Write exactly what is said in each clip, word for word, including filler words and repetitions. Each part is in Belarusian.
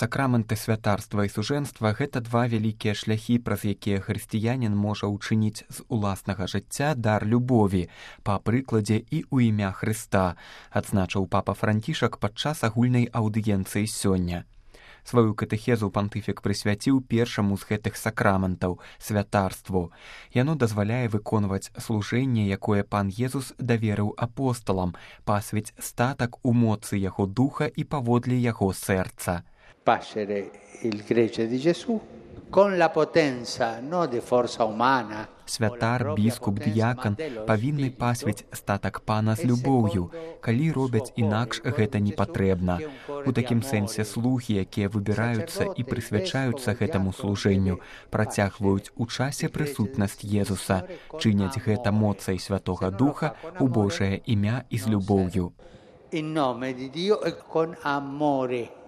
Сакрамэнты святарства і сужэнства – гэта два вялікія шляхі, праз якія хрысціянін можа ўчыніць з уласнага жыцця дар любові, па прыкладзе і ў імя Хрыста, адзначыў папа Францішак падчас агульнай аўдыенцыі сёння. Сваю катэхезу пантыфік прысвяціў першаму з гэтых сакраментаў – святарству. Яно дазваляе выконваць служэнне, якое пан Езус даверыў апосталам, пасвіць статак у моцы яго духа і паводле яго сэрца. Pascere il gregge di Gesù con la potenza non di forza umana. Святар, біскуп, дыякан павінны пасвіць статак пана з любоўю, калі робяць інакш гэта не патрэбна. У такім сэнсе слугі, якія выбіраюцца і прысвячаюцца гэтаму служэнню, працягваюць у часе прысутнасць Езуса, чыняць гэта моцай Святога Духа у Божае імя і з любоўю. In nome di Dio e con amore.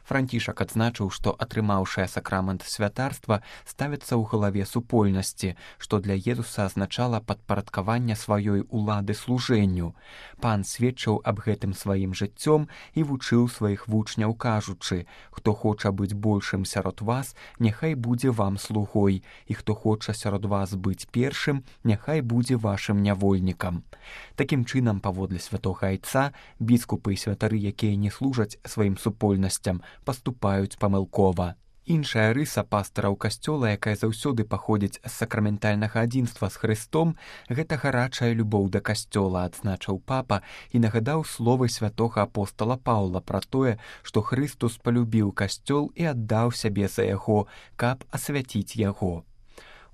Францішак адзначыў, што атрымаўшая сакрамент святарства ставіцца ў галаве супольнасці, што для Езуса азначала падпарадкаванне сваёй улады служэнню. Пан сведчыў аб гэтым сваім жыццём і вучыў сваіх вучняў, кажучы: «Хто хоча быць большым сярод вас, няхай будзе вам слугой, і хто хоча сярод вас быць першым, няхай будзе вашым нявольнікам». Такім чынам, паводле святога айца, біскупы і святары, якія не служаць сваім супольнасцям, паступаюць памылкова. Іншая рыса пастараў касцёла, якая заўсёды паходзіць з сакраментальнага адзінства з Хрыстом, гэта гарачая любоў да касцёла, адзначыў папа і нагадаў словы святога апостала Паўла пра тое, што Хрыстус палюбіў касцёл і аддаў сябе за яго, каб асвяціць яго.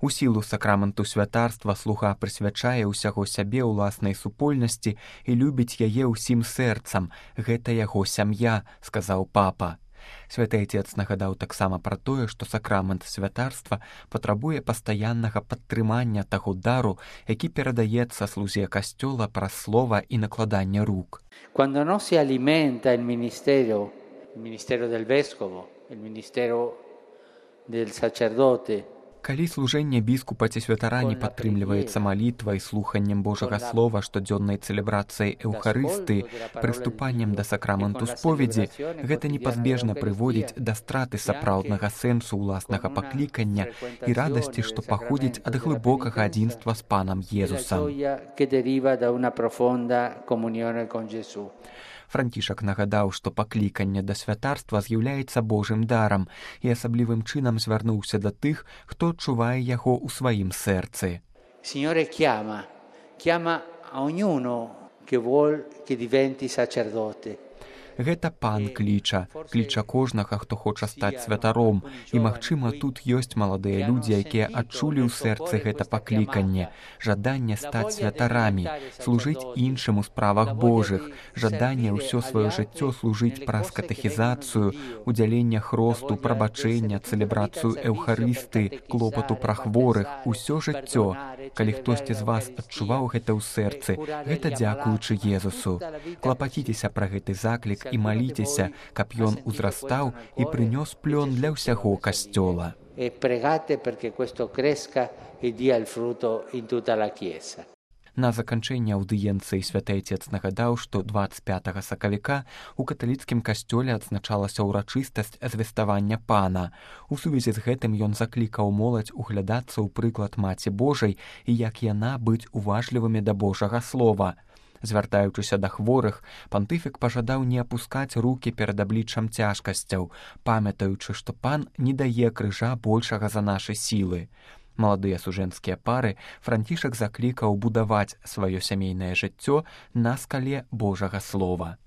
У сілу сакраменту святарства слуга прысвячае ўсяго сябе ўласнай супольнасці і любіць яе ўсім сэрцам. Гэта яго сям'я, сказаў папа. Святы Айцец нагадаў таксама пра тое, што сакрамент святарства патрабуе пастаяннага падтрымання таго дару, які перадаецца слузе касцёла праз слова і накладанне рук. Quando non si alimenta il ministero, il ministero del vescovo, il ministero del sacerdote, калі служэнне біскупа ці святара не падтрымліваецца малітвай, слуханнем Божага слова, штодзённай цэлебрацыяй эўхарыстыі, прыступаннем да сакраменту споведзі, гэта непазбежна прыводзіць да страты сапраўднага сэнсу ўласнага паклікання і радасці, што паходзіць ад глыбокага адзінства з панам Езусам. Францішак нагадаў, што пакліканне да святарства з'яўляецца Божым дарам і асаблівым чынам звярнуўся да тых, хто адчувае яго ў сваім сэрцы. Signore chiama, chiama a ognuno che vuol che diventi sacerdote. Гэта пан кліча, кліча кожнага, хто хоча стаць святаром, і, магчыма, тут ёсць маладыя людзі, якія адчулі ў сэрцы гэта пакліканне, жаданне стаць святарамі, служыць іншым у справах Божых, жаданне ўсё сваё жыццё служыць праз катэхізацыю, удзяленне хросту, прабачэння, цэлебрацыю эўхарысты, клопату пра хворых, усё жыццё. Калі хтосьці з вас адчуваў гэта ў сэрцы, гэта дзякуючы Езусу. Клапаціцеся пра гэты заклік і маліцеся, каб ён узрастаў і прынёс плён для ўсяго касцёла. E pregate perché questo cresca e dia il frutto in tutta la Chiesa. На заканчэнне аўдыенцыі святы Айцец нагадаў, што дваццаць пятага сакавіка у каталіцкім касцёле адзначалася ўрачыстасць звеставання пана. У сувязі з гэтым ён заклікаў моладзь углядацца ў прыклад Маці Божай і як яна быць уважлівымі да Божага слова. Звяртаючыся да хворых, пантыфік пажадаў не апускаць рукі перад абліччам цяжкасцяў, памятаючы, што пан не дае крыжа большага за нашы сілы. Маладыя сужэнскія пары Францішак заклікаў будаваць сваё сямейнае жыццё на скале Божага слова.